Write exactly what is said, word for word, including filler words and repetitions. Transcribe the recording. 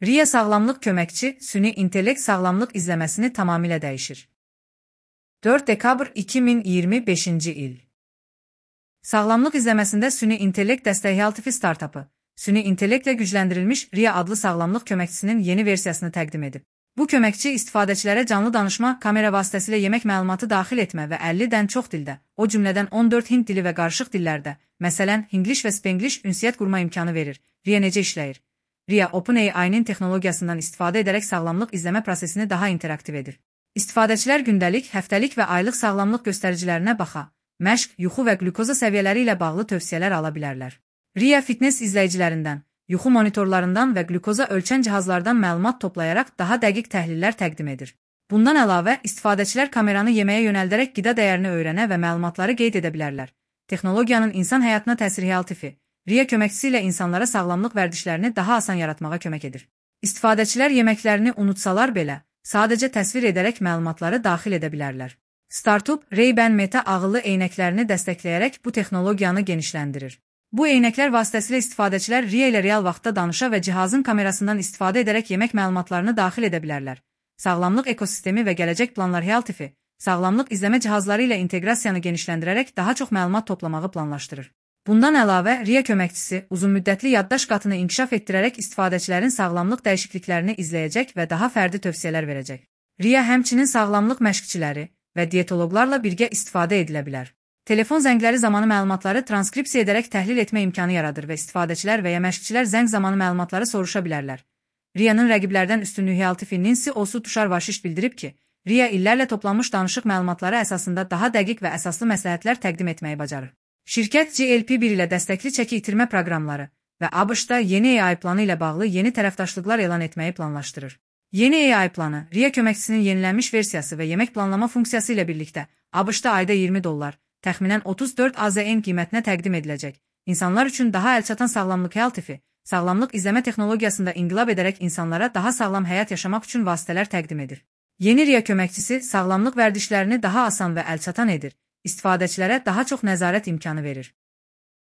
RIA sağlamlıq köməkçi, süni intellekt sağlamlıq izləməsini tamamilə dəyişir. dörd dekabr iki min iyirmi beşinci il. Sağlamlıq izləməsində süni intellekt dəstəyi Healthify startapı, süni intellektlə gücləndirilmiş RIA adlı sağlamlıq köməkçisinin yeni versiyasını təqdim edib. Bu köməkçi istifadəçilərə canlı danışma, kamera vasitəsilə yemək məlumatı daxil etmə və əllidən çox dildə, o cümlədən on dörd hind dili və qarışıq dillərdə, məsələn, Hinglish və Spanglish ünsiyyət qurma imkanı verir. RIA necə işləyir? RIA OpenAI-nin texnologiyasından istifadə edərək sağlamlıq izləmə prosesini daha interaktiv edir. İstifadəçilər gündəlik, həftəlik və aylıq sağlamlıq göstəricilərinə baxa, məşq, yuxu və qlükoza səviyyələri ilə bağlı tövsiyələr ala bilərlər. RIA fitness izləyicilərindən, yuxu monitorlarından və qlükoza ölçən cihazlardan məlumat toplayaraq daha dəqiq təhlillər təqdim edir. Bundan əlavə, istifadəçilər kameranı yeməyə yönəldərək qida dəyərini öyrənə və məlumatları qeyd edə bilərlər. Texnologiyanın insan həyatına təsiri Healthify, RIA köməkçisi ilə insanlara sağlamlıq vərdişlərini daha asan yaratmağa kömək edir. İstifadəçilər yeməklərini unutsalar belə, sadəcə təsvir edərək məlumatları daxil edə bilərlər. Startup, Ray-Ban Meta ağıllı eynəklərini dəstəkləyərək bu texnologiyanı genişləndirir. Bu eynəklər vasitəsilə istifadəçilər RIA ilə real vaxtda danışa və cihazın kamerasından istifadə edərək yemək məlumatlarını daxil edə bilərlər. Sağlamlıq ekosistemi və gələcək planlar Healthify, sağlamlıq izləmə cihazları ilə inteqrasiyanı genişləndirərək daha çox məlumat toplamağı planlaşdırır. Bundan əlavə, RIA köməkçisi uzunmüddətli yaddaş qatını inkişaf etdirərək istifadəçilərin sağlamlıq dəyişikliklərini izləyəcək və daha fərdi tövsiyələr verəcək. RIA həmçinin sağlamlıq məşqçiləri və dietoloqlarla birgə istifadə edilə bilər. Telefon zəngləri zamanı məlumatları transkripsiya edərək təhlil etmə imkanı yaradır və istifadəçilər və ya məşqçilər zəng zamanı məlumatları soruşa bilərlər. RIA-nın rəqiblərdən üstünlüyü Healthify-nin C E O-su Tushar Vashish bildirib ki, RIA illərlə toplanmış danışıq məlumatları əsasında daha dəqiq və əsaslı məsləhətlər təqdim etməyi bacarır. Şirkət G L P bir ilə dəstəkli çəki itirmə proqramları və ABŞ-da yeni A I planı ilə bağlı yeni tərəfdaşlıqlar elan etməyi planlaşdırır. Yeni A I planı, RIA köməkçisinin yenilənmiş versiyası və yemək planlama funksiyası ilə birlikdə ABŞ-da ayda iyirmi dollar, təxminən otuz dörd A Z N qiymətinə təqdim ediləcək. İnsanlar üçün daha əlçatan sağlamlıq Healthify, sağlamlıq izləmə texnologiyasında inqilab edərək insanlara daha sağlam həyat yaşamaq üçün vasitələr təqdim edir. Yeni RIA köməkçisi sağlamlıq vərdişlərini daha asan və əlçatan edir. İstifadəçilərə daha çox nəzarət imkanı verir.